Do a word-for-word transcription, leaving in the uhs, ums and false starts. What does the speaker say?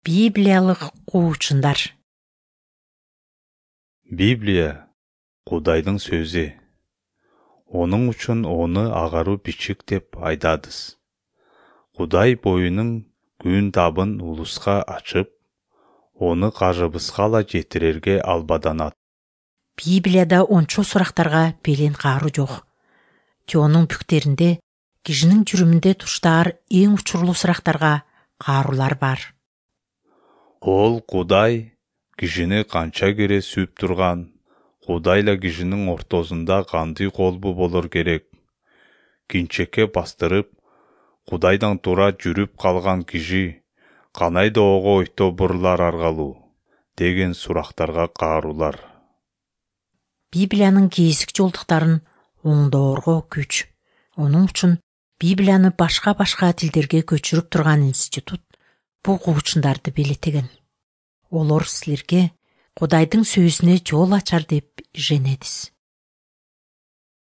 Библиялык куучундар. Библия Кудайдын сөзү. Онун үчүн оны агаруу бичик деп айтадыз. Кудай боюнун күн табын улуска ачып, оны кажыбызга ала жетирерге албаданат. Библияда ончо сурактарга белен каару жок. Теонун бүктеринде кишинин жүрүмүндө туштаар эң учурлуу сурактарга каарулар бар. Ол Кудай кишини канча кере сүйүп турган, Кудайла кишинин ортосунда кандай колбу болор керек? Кинчекке бастырып, Кудайдан тура жүрүп калган киши канайда ого ойто бурулар аргалуу деген сурактарга каарулар. Библиянын кейсик жолдуктарын оңдоорго күч. Онун үчүн Библияны башка-башка тилдерге көчүрүп турган институт бул куучундарды белетеген. Олор силерге Кудайдын сөзүнө жол ачар деп ишенебиз.